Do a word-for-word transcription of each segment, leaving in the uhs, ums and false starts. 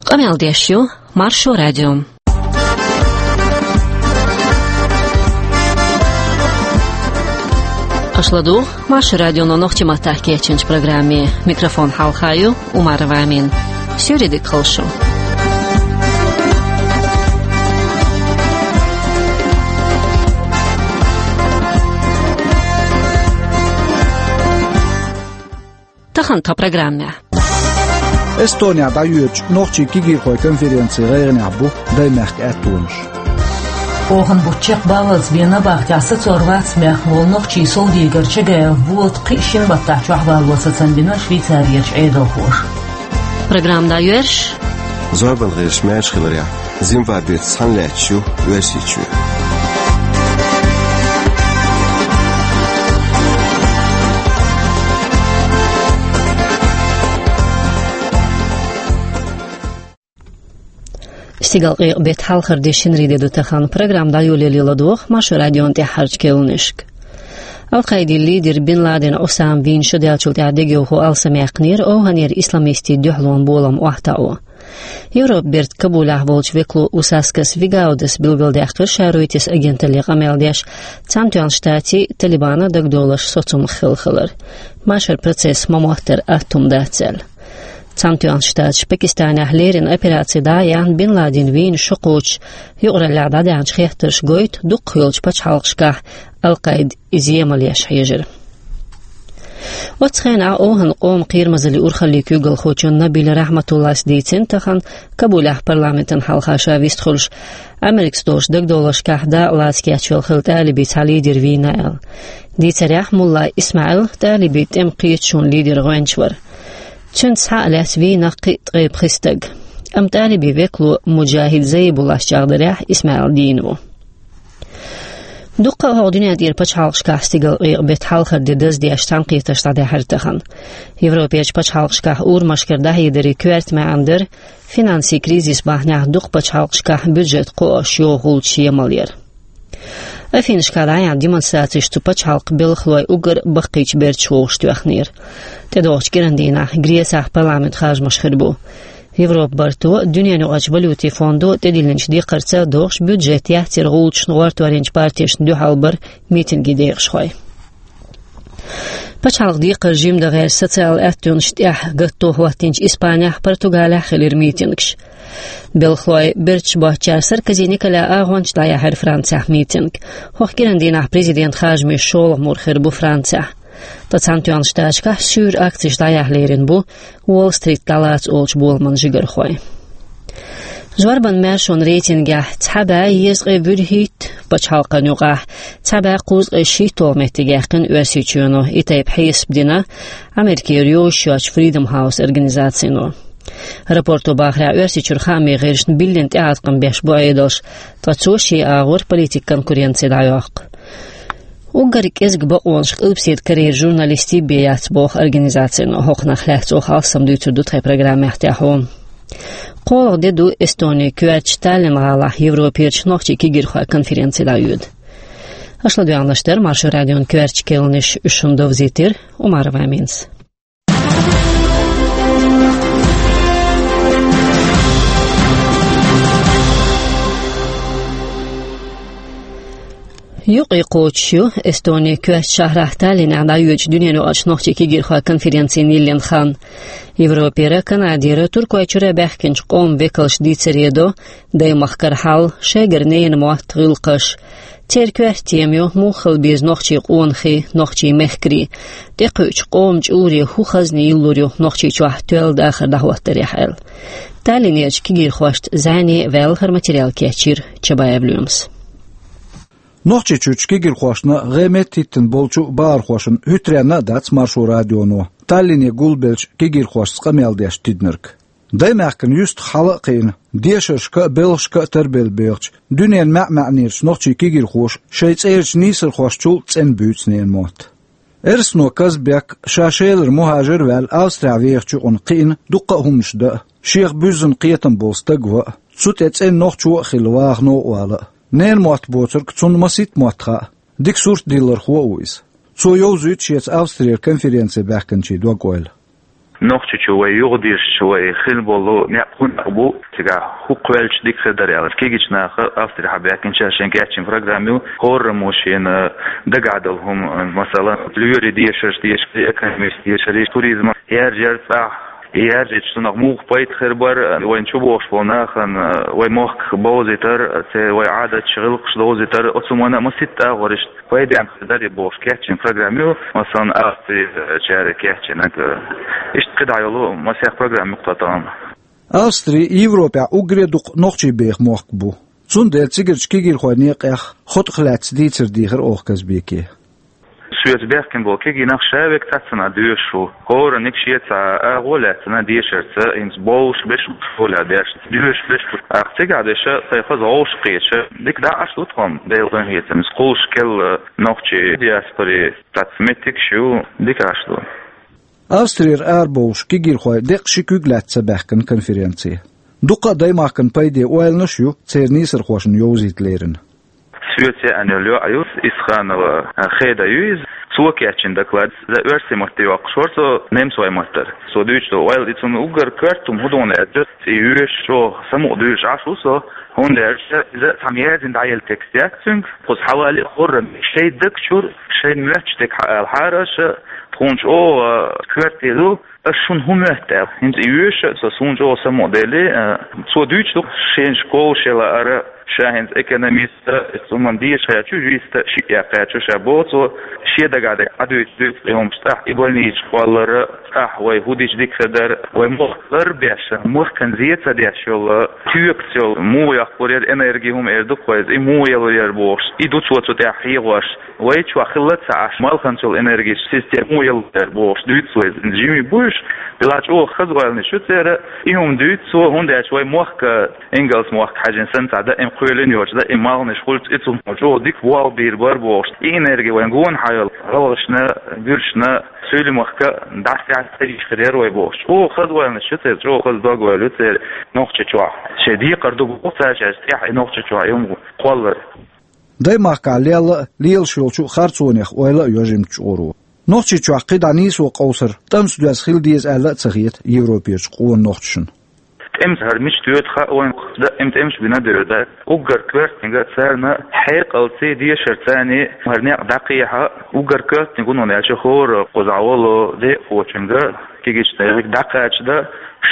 Къамел деш ю Маршо радио. Аша ладугӀу Маршо радионо нохчийн маттахь кечйинчу программе. Микрофон хьалха ю Умарова Амина. Суьйре дика хуьлда шун. Тахана тхан программехь. Эстонехь дӀайоьдучу нохчийн кегийрхойн конференцин гӀайгӀанехь бу даймехкан аьттонаш. Оханан бутт чекхбаллалц бен набахтехь сацор вац баьхна волу нохчийн совдегар Чагаев Волат кхин а шина баттахь чохь валло сацам бина Швейцарерчу Ӏедалхоша. Программа дӀайоьрзуш. Зорбан гӀирсаш маьрша хиларехь, Зимбабвеца цхьаьна лаьтташ ю Оьрсийчоь. Стигалкъекъа беттан хьалхара де, шинарин де ду тахана. Программа дӀайолале ладогӀа Маршо радион тӀаьххьарчу керланашка. Ал-Къаидин лидер Бин Ладен Усама вийна шо даьллачул тӀаьхьа дегайовхо алсамъяьккхинера ОвхӀанера исламистийн дуьхьалонан болам охьатаӀо. Европан бертан Кабулехь волчу векало Усаскас Вигаудас билгалдаьккхира Ша-Ройтерс агенталле къамел деш, Цхьаьнатоьхначу Штатийн а, Талибанан а дагадовларш соцамах хилла хилар. Машар процесс ма-моттара атта хӀума дац аьлла. Цхьаьнатоьхначу Штаташа Пакистанехь леррина операци дӀа а яьхна, Бин Ладен вийна шо кхочуш, юкъараллехь дӀадаьхьначу хеттарша гойту, дукхах йолчу пачхьалкхашкахь Ал-Къаида иза емал еш хьежира. Оццу хенахь ОвхӀан къоман кхерамазаллин урхаллин куьйгалхочо Набиль Рахьматуллас дийцина тахана, Кабулехь парламентана хьалха ша вистхуьлуш, Америкас долчу дагадовларшкахь дакъа лаца кечвелла хилла тӀалибийн цхьа лидер вийна аьлла. Дийцарехь, мулла ИсмаӀил тӀалибийн тӀеман кхеташонан лидер гӀоьнча вара. Цуьнца схьа а лаьцна вийна кхин а ткъе пхи стаг. Амма тӀалибийн векало Муджахид Заибуллас чӀагӀдарехь, ИсмаӀил дийна ву. Дуккха а хӀокху дуьнен тӀера пачхьалкхашкахь стигалкъекъа беттан хьалхара де даздеш цхьаьнакхетарш дӀадаьхьира тахана. Европерчу пачхьалкхашкахь урамашкара дӀахьедарийн коьрта маьӀна дара финансийн кризис бахьанехь дукха пачхьалкхашкахь бюджет кхоош йогӀу гӀулчаш емал яр. Афинашкахь дӀаяьхьна демонстрацеш цу пачхьалкхан белхалой уггар а баккхийчу берташ вовшахтоьхнера. ТӀедогӀучу кӀиран дийнахь Грецехь парламентан харжамаш хир бу. Европан барто а, Дуьненаюкъарчу валютийн фондо а тӀедиллинчу декхарца а догӀуш, бюджет яцъяран гӀулчашна гӀортор йинчу партешна дуьхьал бара митинган декъашхой. Пачхьалкхан декхар жимма дан гӀерташ социалан аьттонаш тӀехь гатто хӀоттийначу Испанехь а, Португалехь а хилира митингаш. Белхалой берташ боцчара Саркози Николя агӀончаш дӀаяьхьира Францехь митинг. ХӀокху кӀиран дийнахь президентан харжамийн шолгӀа мур хир бу Францехь. Ткъа Цхьаьнатоьхначу Штаташкахь суьйра акцеш дӀаяхьа лерина бу Уолл-Стрит дӀалаца олучу боламан жигархой. Зорбанан маьршонан рейтингехь цхьа бӀе дезткъе вуьрхӀитта пачхьалкхан юкъахь цхьа бӀе кхузткъе шийтталгӀа меттиг яьккхина Оьрсийчоьно. И тайпа хьесап дина Америкера йозуш йоцчу Freedom House организацино. Рапорто бахарехь, Оьрсийчуьра хаамийн гӀирсашна биллина тӀеӀаткъам беш бу Ӏедалш, ткъа цо шен агӀор политикан конкуренци дӀайоккху. Уггар кӀезиг бакъонаш Къилбаседа Корейра журналистийн бен яц, боху организацино. ХӀокхунах лаьцна оха алссам дуьйцур ду тхайн программехь тӀаьхьо. КхоалгӀа де ду Эстонин коьртачу Таллин гӀалахь Европерчу нохчийн кегийрхойн конференци дӀайоьду. Аша ладоьгӀнарш дара Маршо радион коьртачу керланаш, уьш шуна довзийтира Умарова Аминас. Юкъе кхочуш ю Эстонин коьртачу шахьрахь Таллинехь дӀайоьдучу Дуьненаюкъарчу нохчийн кегийрхойн конференцин йиллина хан. Европера, Канадера, Туркойчуьра баьхкинчу къоман векалша дийцаре до даймахкара хьал, шайгара ненан мотт, гӀиллакхаш. Церан коьрта тема ю муха хила беза нохчийн къонахий, нохчийн мехкарий. ТӀекхуьучу къоман чӀуре хӀун хазна йиллур ю Нохчийчохь тоьлла дахар дӀахӀоттарехь аьлла. Таллинерчу кегийрхошца зӀене а ваьлла, хӀара материал кечйира Чабаев Лоьмас. Нохчийчуьрчу кегийрхошна гӀеметтахӀиттина болчу бахархошна хӀуьттаренна а дац Маршо радионо Таллине гулбеллачу кегийрхошца къамел деш тидинарг. Даймахкана юьстах хьала а кхиъна, дешаршка а, белхашка а тарбелла бехачу дуьненан маьӀ-маьӀнерчу нохчийн кегийрхоша шайн цӀерачу нийсархошчул цӀена буьйцу ненан мотт. Эрсано Казбек ша Шелара мухӀажар а ваьлла, Австрехь вехачу юкъана кхиъна дуккха а хӀуманаш дан а, шех буьззина кхетам болу стаг ван а, цу тӀе цӀена нохчо а хилла, вахано а вала а. Ненан мотт боцург цунна масийтта мотт хаьа, дика сурт диллархо а ву иза. Цо йовзуьйту шеца Австрера конференце баьхкинчийн дог-ойла. Нохчийчу вай юхадешаш, вай хилла болу некъ хӀун бу, цигахь хӀу кхоьллича дика хир дара аьлла. Кегийчу наха Австрихьа баьхкинчаша шайн кечйина программа ю, хӀораммо шена дагахь долу хӀума, масала, лоьрийн дешарш дешар, экономически дешар, туризм, яржар цӀахь, яржича цунах муха пайда хир бара, вайна чу богӀуш болу нахана, вай мохк бовзийтар, церан вай Ӏадаташ, гӀиллакхаш довзийтар, оцу хӀуманна масийтта агӀор иштта пайдехь хир дара бохуш кечйина программа ю, масала, Австричара кечйинарг, иштта кхидӀа йолу масех программа ю-кх тахана. Австри Европехь уггаре дукха нохчий беха мохк бу. Цундела цигарчу кегийрхойн некъех, хотӀах лаьцна дийцар дийхира оха Казбеке. Соьца баьхкина болу кегий нах ша верг цхьаццанхьа доьшуш бу. ХӀоранниг шен цхьа агӀо лаьцна дешарца, хӀинца бовлуш берш бу школехь дешна, доьшуш берш бу. ТӀаккха цигахь дерш сайн хаза вовшахкхеташ, дика дӀа Ӏаш ду тхо-м, Делан къинхетамца, кхуллуш керла нохчий диаспорин цхьацца меттигаш ю, дика Ӏаш ду. Австрера арабовлуш кегийрхой деккъа ши куьг лаьцна ца баьхкина конференце. Дуккха а даймахкана пайде ойланаш а ю церан нийсархошна йовзийта лерина. Соьца яьӀна йолу йоӀ ю, Исханова Хеда ю иза. Цо кечйина доклад, иза оьрсийн матте йоккхуш вара цо, немцойн маттара. Цо дуьйцуш долу ойла, и цунна уггар коьрта хӀума хӀун ду аьлча, и йоьшуш чӀогӀа самукъадуьйшуш Ӏаш ву со, хӀунда аьлча иза цхьамма яздина дӀаелла текст яц цуьнга, кхуза хьавале а хӀоранниг шайн даг чуьра, шайна моьттуш дерг хьаала хьара аша, тхуна чӀогӀа коьрте ду, аш шуна хӀун моьтту аьлла. ХӀинца и йоьшуш а со, суна чӀогӀа самукъаделли, а, цо дуьйцуш ду, шен школа шен лаара, ша хӀинца экономист а, хӀуманна деша кхаьчча, юрист а, шиъ яккха кхаьчча, ша боху цо, шен дагахь дерг Ӏадуьйцуш дуьйцу и хӀуманаш, тӀаккха и больничаш кхоллар, тӀаккха вай хӀун дича дика хир дара, вай мохк лар беш, махкана зен ца деш йолу, тоькаца йолу, муха яккхалур яра энерги хӀума эр ду-кх вай иза, и муха ялур яра бохуш, и ду цо цу тӀехь хьехош. Вай чохь хилла ца Ӏаш, малханца йолу энергичу система муха ялур яра бохуш дуьйцу вай иза. Жимий бу уьш, делахь чӀогӀа хаза ойланаш ю церан, и хӀума дуьйцу цо, хӀунда аьлча вай мохк, ингалс мохк хьаьжжина санна цхьа даим кхоьлина йоцуш, даим малханаш хуьлуш, и цунна чӀогӀа дика вовшахбийр бара бохуш. И энерги вайн гонаха йолу гӀалгӀашна, буьрсашна, суьйлмахка дӀасаьхьа ца йиш хир яра вай бохуш. ЧӀогӀа хаза ойланаш ю церан, чӀогӀа хаза дог-ойла ю церан Нохчийчохь. Шайн декхар ду боху цаьршаьш тӀехь и Нохчийчохь и хӀума кхоллар. Даймахкахь лелла а, лелаш йолчу харцонех ойла а йо жимачу чкъуро. Нохчийчохь кхидӀа нийсо къовсар тӀамца доьзна хила деза аьлла а ца хета Европерчу къона нохчашна. ТӀемца хӀара мича доьду хаьа вайна, даим тӀемаш бина а девр дац. Уггар коьртаниг царна хьекъалций, дешарций хӀара некъ дӀакхехьа, уггар коьртаниг ву, хӀунда аьлча хӀора кхузахь волу декъахочуьнга, кегийчу нехан дӀакхача дан,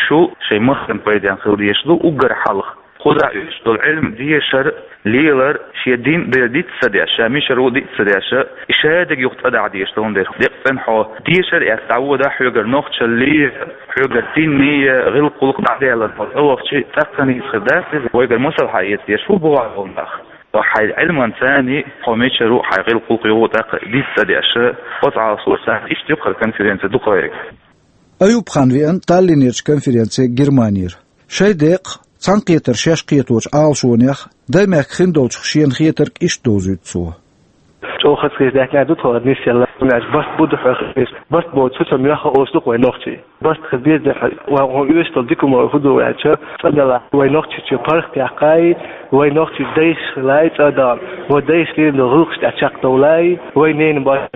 шу шайн махкана пайдехь хила дезаш ду уггар хьалха. Кхузахь уьш долу Ӏилма дешар, лелар, шен дин а диц ца деш, ша мичара ву диц ца деш, и шадерг юха цӀа дахьа дезаш долун дерг. Декъа цӀена хьо дешар а эцна дӀавода хьоьгара нохчаллий, хьоьгара динний, гӀиллакх-гӀуллакх дӀаделла хьо цӀа вахча, цӀаккха нийса хир дац иза. Вайгара масал хьаэца дезаш ву боху хьуна нах. Хьайн Ӏилманций хьо мичара ву, хьайн гӀиллакх-гӀуллакх юха тӀаккха диц цӀа деш, оцу Ӏалашонца иштта ю-кх хӀара конференци дукха вайга. Аюб-хан веана Таллинерчу конференце Германера. Шайн декъах цхьаьнакхетар шаьш кхеточу Ӏалашонех, даймехкан хиндолчух шена хетарг иштта довзуьйту цо. ЧӀогӀа хазахетар даьхкина ду тхо нисъелла, хӀунда аьлча барт бу ду хьоьхуш, барт боцу цу цо моьхха олуш ду-кх вай нохчий. Барт хила беза, вай хьо оьшуш долу дика хӀума хӀун ду аьлча, цӀа делахь вай Нохчийчу паргӀат яккхай, вай нохчий дайша хилай цӀа а дан, вай дайша лелийна долу гӀиллакхаш тӀехь чекхдовлай, вай ненан барт.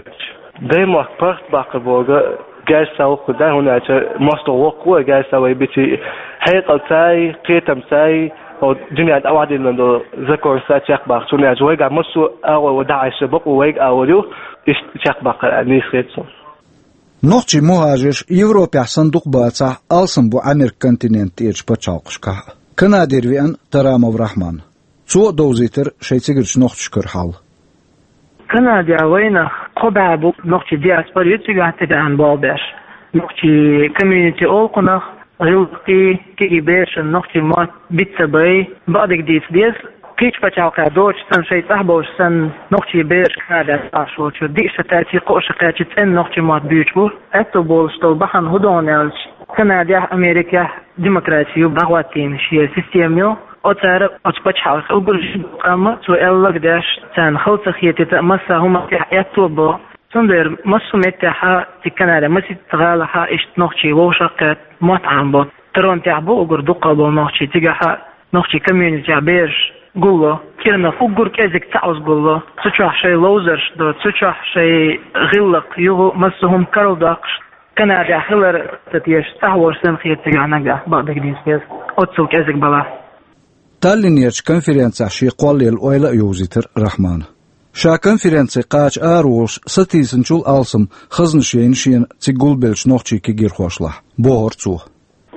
Даймахка паргӀат баккхар бохург герз ца воккху дай, хӀунда аьлча мостагӀа воккху вай герз ца вай биций, хьекъалций, кхетамций, хӀо дуьнен тӀе охьадиллина долу законаш ца чекхбаккхарца, хӀунда аьлча вайгахь массо а агӀор вай дӀахьаьжча бакъо вайга агӀор ю, иштта чекхбаккхар аьлла нийса хета суна. Нохчий мухӀажарш Европехь санна дукха бацахь, алсам бу Ӏамеркан континент тӀерачу пачхьалкхашкахь а. Канадера веана Тарамов Рахьман. Цо а довзийтира шайн цигарчу нохчашкара хьал. Канадехь вайнах кхо бӀе бу нохчий диаспора ю цигахь тӀебеана болх беш. Нохчий комьюнити олу кхунах, гӀиллакхий, кегий берашна нохчий мотт биц ца бай, бакъдерг дийца деза. Кхечу пачхьалкхехь доцуш санна, шайн цӀахь болуш санна, нохчий бераш Канадехь Ӏаш волчуьра диъ шо кхаьччи, кхоъ шо кхаьччи цӀена нохчий мотт буьйцуш бу. Аьтто болуш долу бахьана хӀун ду хьуна аьлча, Канадехь, Америкехь демократи ю, дӀахӀоттийна шен система ю. Оцара оцу пачхьалкхан уггар жимма къам а, цо аьлларг деш, царна хала ца хетийта а, массо а хӀуманна тӀехь аьтто а бо. Цундела массо а меттехь а, цига Канадехь масийтта гӀалахь а иштта нохчий вовшах а кхетта, мотт Ӏамабо. Торонтехь бу уггар дуккха а болу нохчий, цигахь а нохчий комьюнитехь бераш гулло. Киранах уггар кӀезиг цхьа Ӏуза гулло. Цу чохь шайн ловзарш до, цу чохь шайн гӀиллакх, юха массо а хӀума карладоккхуш. Канадехь хилар, ца теша цӀахь волуш санна хета цигахь нагахь, бакъдерг дийца деза. Оццул кӀезиг бала. Таллинерчу конференцехь шен кхоллаелла ойла а йовзийтира Рахьмана. Ша конференци кхача араволуш сатийсинчул алсам хазнаш яйна шена цига гулбеллачу нохчийн кегийрхошлахь, бохура цо.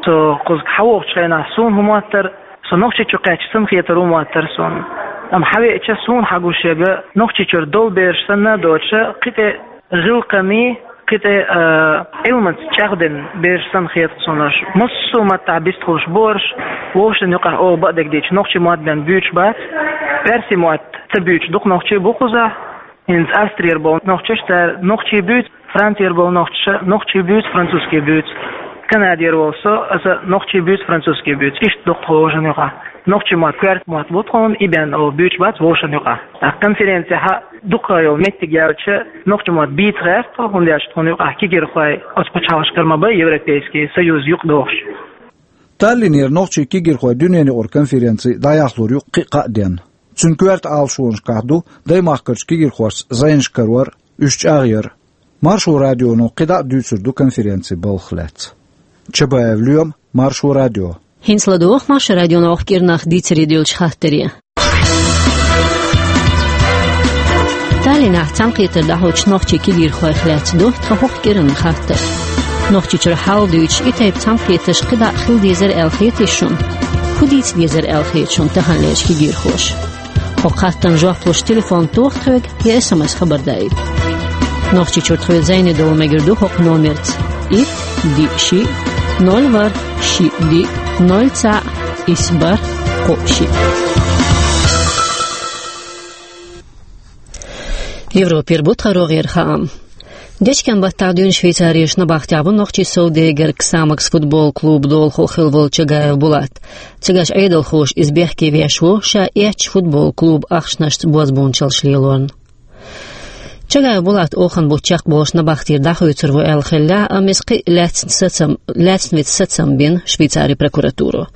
Со кхуза хьавогӀучу хенахь суна хӀун моттара, со Нохчийчу кхаьчча санна хетар хӀун моттара суна. Амма хьавеача суна хьагуш яга Нохчийчуьра долу бераш санна а доцуша, кхин тӀе гӀиллакханий, кхин тӀе, а, Ӏилманца чӀагӀдина бераш санна хета суна уьш. Массо а маттахь бистхуьлуш бу уьш, вовшашна юкъахь оха бакъдерг дийцича, нохчийн мотт бен буьйцуш бац, персийн мотт ца буьйцуш дукха нохчий бу кхузахь. ХӀинца Австрера болу нохчаша цара нохчий буьйцу, Францера болу нохчаша нохчий буьйцу, французский буьйцу. Канадера волу со, аса нохчий буьйцу, французский буьйцу. Иштта дукха вовшашна юкъахь. Нохчийн мотт коьрта мотт бу тхуна, и бен оха буьйцуш бац вовшашна юкъахь. ТӀаккха конференцехь дукха йолу меттиг яьлча, нохчийн мотт бийца гӀерта тхо, хӀунда аьлча тхуна юкъахь кегийрхой оцу пачхьалкхашкара ма бай, Европейский Союз юкъадохуш. Таллинера нохчийн кегийрхойн дуьненаюкъара конференци дӀаяхлур ю кхин а кхаа денна. Цуьнан коьрта Ӏалашонашкахь ду даймахкарчу кегийрхошца зӀенаш карор а, уьш чӀагӀъяр а. Маршо радионо кхидӀа а дуьйцур ду конференцин балхах лаьцна. Чабаев Лоьма, Маршо радио. ХӀинца ладогӀа Маршо радионо хӀокху кӀиранах дийцаре доьллачу хаттаре. Таллинехь цхьаьнакхетар дӀахьочу нохчийн кегийрхойх лаьцна ду тхан хӀокху кӀиранан хаттар. Нохчийчуьра хьал дуьйцуш, и тайпа цхьаьнакхетарш кхидӀа а хила дезара аьлла хетий шуна? ХӀун дийца дезара аьлла хета шуна таханлерчу кегийрхоша? ХӀокху хаттарна жоп луш телефон тоха тхоьга я эс эм эс хабар даийта. Нохчийчуьра тхоьца зӀене довла мегар ду хӀокху номерца: итт, диъ, шиъ, ноль, ворхӀ, шиъ, диъ, ноль, цхьаъ, исс, бархӀ, кхоъ, шиъ. Европера бу тхан рогӀера хаам. Дечкен-баттахь дуьйна Швейцарерчу набахтехь ву нохчийн совдегарг, «Ксамакс» футбол клубан долахо хилла волу Чагаев Булат. Цигахь Ӏедалхоша иза бехке веш ву, ша эцначу футбол клубан ахчанашца бозбуунчаллаш лелорна. Чагаев Булат оханан бутт чекхболуш набахтера дӀахуьйцур ву аьлла хиллехь а, амма иза кхин а лаьцна сацам-, лаьцна вита сацам бина Швейцарин прокуратуро.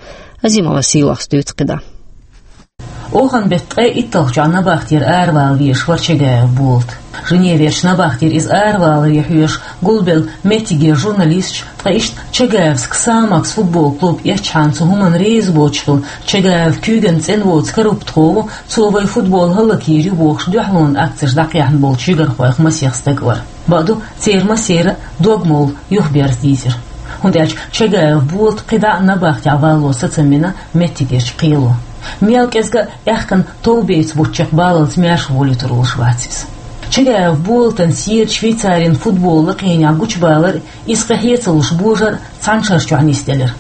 Азимова Сийлахьас дуьйцу кхидӀа. Оханан беттан ткъе итталгӀачохь набахтера аравала везаш вара Чагаев Булат. Женеверчу набахтера иза араваларе хьоьжуш гулбелла меттигера журналисташ, ткъа иштта Чагаевс «Ксамакс» футбол клуб эцчахьана цу хӀуманна реза боцуш хилла, Чагаев куьйган цӀена воцу корруптхо ву, цо вайн футбол хӀаллакйийр ю бохуш, дуьхьалонан акцеш дӀакхехьна болчу жигархойх масех стаг вара. Бакъду, церан массеран а дог-молла юхаберза дийзира. ХӀунда аьлча Чагаев Булата кхидӀа а набахтехь валло сацам бина меттигерчу кхело. Мел кӀезга а аьхкан товбеца бутт чекхбаллалц маьрша волуьйтур волуш вац иза. Чагаев Булатан сий Швейцарин футболан лакхенехь гучубалар а, иза кхин хье ца луш божар а цхьана шарчохь нисделира.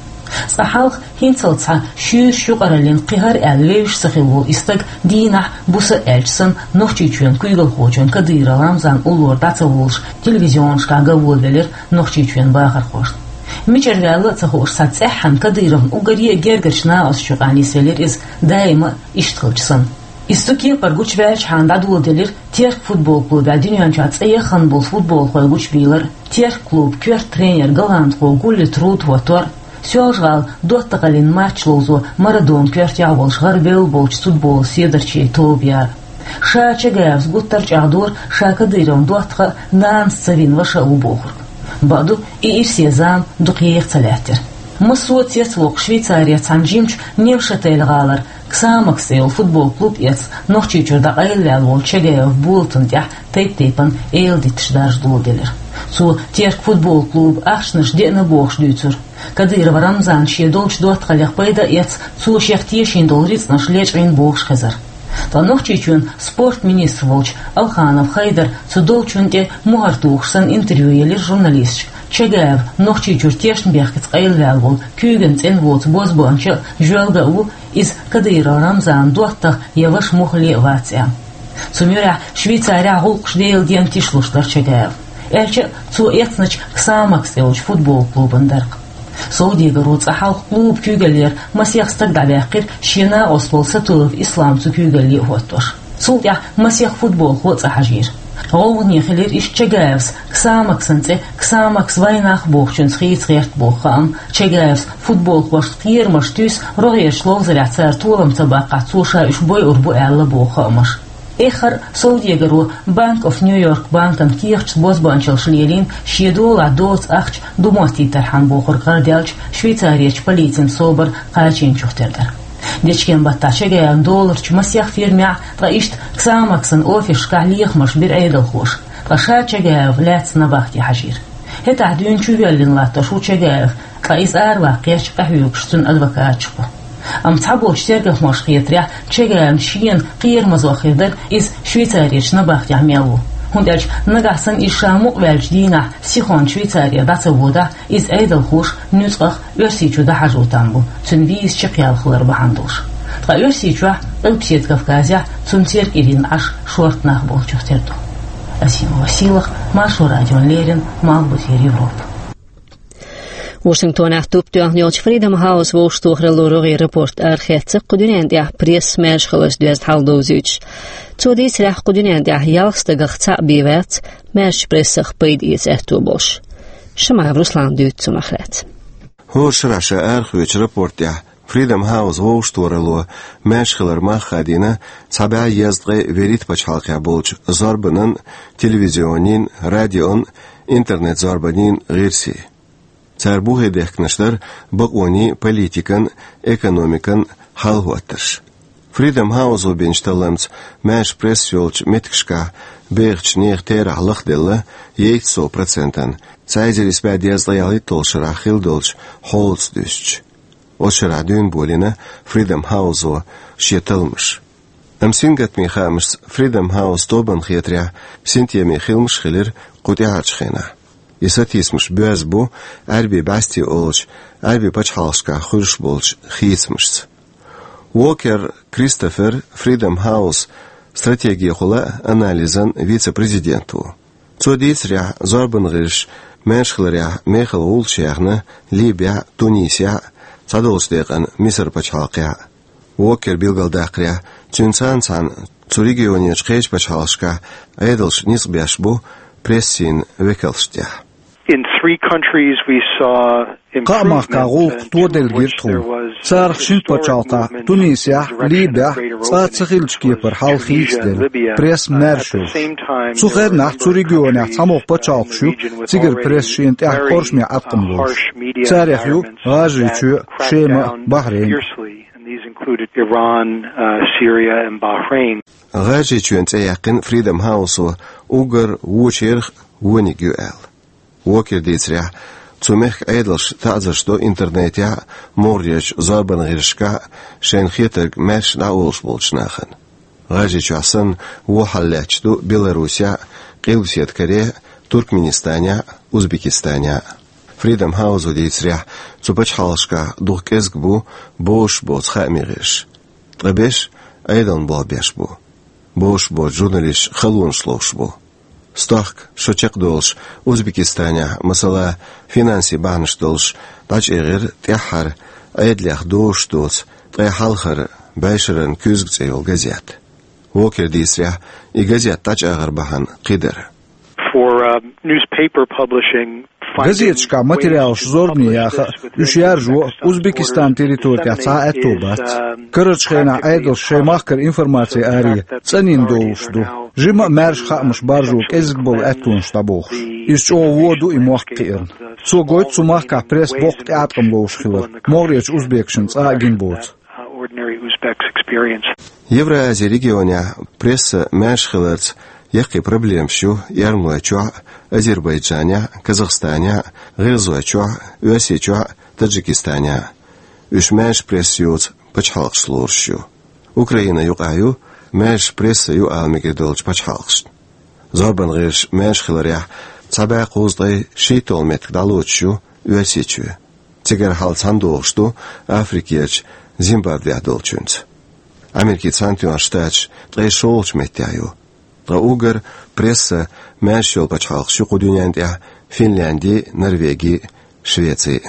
Цкъа хьалха хӀинццалц схьа шуьйрачу юкъараллин кхин хӀара аьлла вевзаш ца хилла волу и стаг дийнахь, буса а аьлча санна, Нохчийчоьнан куьйгалхочун Кадыров Рамзанан уллора дӀа ца волуш, телевизионашкахь ган волавелира Нохчийчоьнан бахархошна. Мичара ваьлла а ца хууш, цхьа цӀеххьана Кадыровн уггаре а гергарчу накъосташна юкъахь нисвелира иза, даима а иштта хилча санна. Иза цу кепара гучуваьлчахьана дӀадоладелира Терк футбол клубехь дуьнен чохь цӀе яхана болу футболхой гучубийлар а, Терк клубан коьрта тренер голландхо Гулли Труд хӀоттор а, Соьлжа-ГӀалин доттагӀаллин матч ловзо Марадонан коьртехь а волуш гӀарабевлла болчу футболан седарчийн тоба яр а. Ша Чагаевс гуттар а чӀагӀдора, ша Кадыровн доттагӀа а, нанас ца вина ваша а ву бохург. Бакъду, и ирсе зама дукха еха ца лаьттира. Массо а цецвоккху Швейцарера цхьана жимачу Невшатель-гӀалара «Ксамакс» цӀе йолу футбол клуб эцна Нохчийчуьра дӀакъайлаваьлла волу Чагаев Булатан тӀехь тайп-тайпана эладитанаш даржа доладелира. Цо Терк футбол клубан ахчанаш деана бохуш дуьйцура. Кадыров Рамзана шен долчу доттагӀаллех пайда а эцна, цо шех тешийна долу рицкъанаш лечкъийна бохуш хезара. Ткъа Нохчийчоьнан спортан министр волчу Алханов Хайдара цу долчунна тӀе мухӀар тухуш санна интервью елира журналисташка. Чагаев Нохчийчуьра тешнабехкаца къайлаваьлла волу, куьйган цӀена воцу бозбуунча а, жоьлга а ву, иза Кадыров Рамзанан доттагӀа я ваша муххале а вац аьлла. Цу муьрехь Швейцарехь гӀуллакхаш деладен тишлуш дара Чагаев. Аьлча а, цо эцначу «Ксамакс» цӀе йолчу футбол клубан дарх. Совдегаро цкъа хьалха клубан куьйгаллера масех стаг дӀаваьккхира, шен накъост волу Сатуев Ислам цу куьйгалле а хӀоттош. Цул тӀаьхьа масех футболхо а цӀа хьажийра. ГӀовгӀане хилира иштта Чагаевс «Ксамаксан» цӀе «Ксамакс вайнах» бохучуьнца хийца гӀерта боху хаам, Чагаевс футболхошна кхерамаш туьйсу рогӀерчу ловзарехь цара толам ца баккхахь, цо ша уьш бойур бу аьлла боху хаамаш. Эххар а совдегаро Bank of New York банкан кехаташца бозбуунчаллаш лелийна шен долахь доцу ахча ду моттийтархьама бохург гӀарадаьлча Швейцарерчу полицин собар кхачийначух тера дара. Дечкен-баттахь Чагаевн доларчу масех фирмехь, ткъа иштта Ксамаксан офисашкахь лехамаш бира Ӏедалхоша, ткъа ша Чагаев лаьцна набахте хьажийра. ХӀетахь дуьйна чувоьллина латтош ву Чагаев, ткъа иза араваккха гӀерташ къахьоьгуш цуьнан адвокаташ бу. Амма цхьаболчу тергамхошна хетарехь, Чагаевна шена кхерамазо хир дара иза Швейцарерчу набахтехь мел ву. ХӀунда аьлча нагахь санна иза ша мукъаваьллачу дийнахь сихонца Швейцаре дӀа ца водахь, иза Ӏедалхоша нуьцкъах Оьрсийчу дӀахьажо там бу, цуьнан виза чекхъяла хилар бахьана долуш. Ткъа Оьрсийчохь, Къилбаседа Кавказехь цунна церг ирина Ӏаш шорта нах болчух тера ду. Асима Василах, Маршо радиона леррина, Малхбузера Европа. Вашингтонехь туп тоьхна йолчу Freedom House вовшахтохаралло рогӀера рапорт арахецна кху дуьнен тӀехь пресса маьрша хиларца доьзна хьал довзуьйтуш. Цо дийцарехь, кху дуьнен тӀехь ялх стагах цхьаъ бен вац маьршачу прессах пайда эца аьтто болуш. Шамаев Руслана дуьйцу цунах лаьцна. ХӀора шарахь ша арахоьцучу рапорт тӀехь Freedom House вовшахтохаралло маьрша хилар мах хадийна цхьа бӀе езткъе вуьрхӀитта пачхьалкхехь болчу зорбанан, телевизионийн, радион, интернет-зорбанийн гӀирсийн. Цара бухе дехкинарш дара бакъонийн, политикан, экономикан хьал-хӀоттарш. Freedom House-о бинчу талламца маьрша пресса йолчу меттигашкахь бехачу нехан терахь лахделла ейтта сов процентана, цхьа эзар исс бӀе дезткъе ялхитталгӀачу шарахь хилла долчу хьолаца дуьстича. Оцу шарахь дуьйна болийна Freedom House-о шен талламаш. Амма сингаттамийн хаамашца Freedom House тобанна хетарехь, синтеме хиламаш а хилира кху тӀаьхьарчу хенахь. И сатийсамаш боьзна бу Ӏаьрбийн бӀаьсте олучу Ӏаьрбийн пачхьалкхашкахь хуьлуш болчу хийцамашца. Уокер Кристофер, Freedom House стратегехула анализан вице-президент ву. Цо дийцарехь, зорбан гӀирсаш маьрша хиларехь мехала гӀулч яьхна Либехь а, Тунисехь а, цхьадолчу декъана Мисар пачхьалкхехь а. Уокер билгалдаккхарехь, цуьнца цхьаьна цу регионерчу кхечу пачхьалкхашкахь Ӏедалш ницкъ беш бу прессин векалшна тӀехь. In three countries we saw Кхаа махкахь гӀуллакх тоделла гира тхуна. Царах шина пачхьалкхехь, Тунисехь, Либехь, цкъа а ца хиллачу кепара хьал хийцаделла, пресса маьрша йолуш. Цу хенахь цу регионехь цхьамогӀа пачхьалкхаш ю, цигара пресса шена тӀехь къоршаме Ӏаткъам лоруш. Царех ю ГӀажарийчоь а, Шема а, Бахрейн а. And these included Iran, uh, Syria, and Bahrain. ГӀажарийчоьнан цӀе яьккхина Freedom House-о уггар вочарах вониг ю аьлла. Уокера дийцарехь, цу мехкан Ӏедалш таӀзарш до интернетехь а, могӀарерчу зорбан гӀирсашкахь а шайна хетарг маьрша дӀаолуш болчу нахана. ГӀажарийчохь санна, вон хьал лаьтташ ду Беларусехь а, Къилбаседа Корехь а, Туркменистанехь а, Узбекистанехь а. Freedom House-о дийцарехь, цу пачхьалкхашкахь дукха кӀезиг бу бозуш боцу хаамийн гӀирсаш. Ткъа берш Ӏедална болх беш бу. Бозуш боцу журналисташ халонаш ловш бу. Стохка, шо чекхдолуш, Узбекистанехь, масала, финансийн бахьанаш долуш дӀачӀагӀира тӀаьххьара Ӏедалех дозуш доцу ткъе хьалхара «БӀешаран куьзга» цӀе йолу газета. Уокера дийцарехь, и газета дӀачӀагӀар бахьана кхидара. For, uh, newspaper publishing, газеташкахь материалаш зорбане яха а, уьш яржо а Узбекистан территори тӀехь цхьа а аьтто бац. Карарчу хенахь Ӏедалш шайн махкара информаци аре цӀанйина довлуш ду. Жимма а маьрша хаамаш баржо кӀезиг болу аьттонаш дӀабохуш. Иза чӀогӀа вон ду и мохк кхиарна. Цо гойту цу махкахь пресса боккха тӀеӀаткъам ловш хилар, могӀарерчу узбекашна цкъа а гина боцу. Uh, ordinary Uzbeks experience. Евразия регионехь пресса маьрша хиларца яккхий проблемаш ю Эрмалойчохь а, Азербайджанехь а, Казахстанехь а, ГӀиргӀазойчохь а, Оьрсийчохь а, Таджикистанехь а. Уьш маьрша пресса йоцу пачхьалкхашца лоруш ю. Украина юкъахь ю маьрша пресса ю ала мегар долчу пачхьалкхашна. Зорбан гӀирсаш маьрша хиларехь, цхьа бӀе кхузткъе шийтталгӀа меттиг дӀалоцуш ю Оьрсийчоь. Цигара хьал цхьаьна догӀуш ду Африкерчу Зимбабвехь долчуьнца. Америкин Цхьаьнатоьхна Штаташ ткъе шолгӀачу меттехь ю. Ткъа уггар пресса маьрша йолу пачхьалкхаш ю кху дуьнен тӀехь Финлянди, Норвеги, Швеци.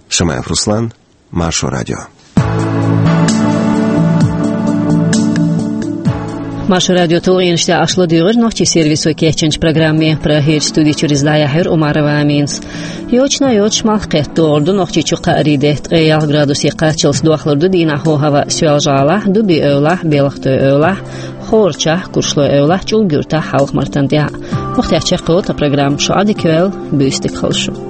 Шамаев Руслан, Маршо радио. Маршо радио тулгӀенаш тӀехь аша ладуьйгӀира нохчийн сервисо кечйинчу программе. Прагерчу студи чуьра иза дӀаяьхьира Умарова Аминас. Йочана йоцуш малх кхетта догӀур ду Нохчийчу кхаарин де, ткъе ялх градусе кхаччалц дохлур ду дийнахь хӀаваъ Соьлжа-ГӀалахь, Дуби-Эвлахь, Белхатой-Эвлахь, кхоъ чӀоагӀа куршло эвлахь чӀулг юрта хьалха мартан тӀехь. Вахтехь чекхйолу тхан программа, шу Ӏадика йойла, буьйса дика хуьлда шун.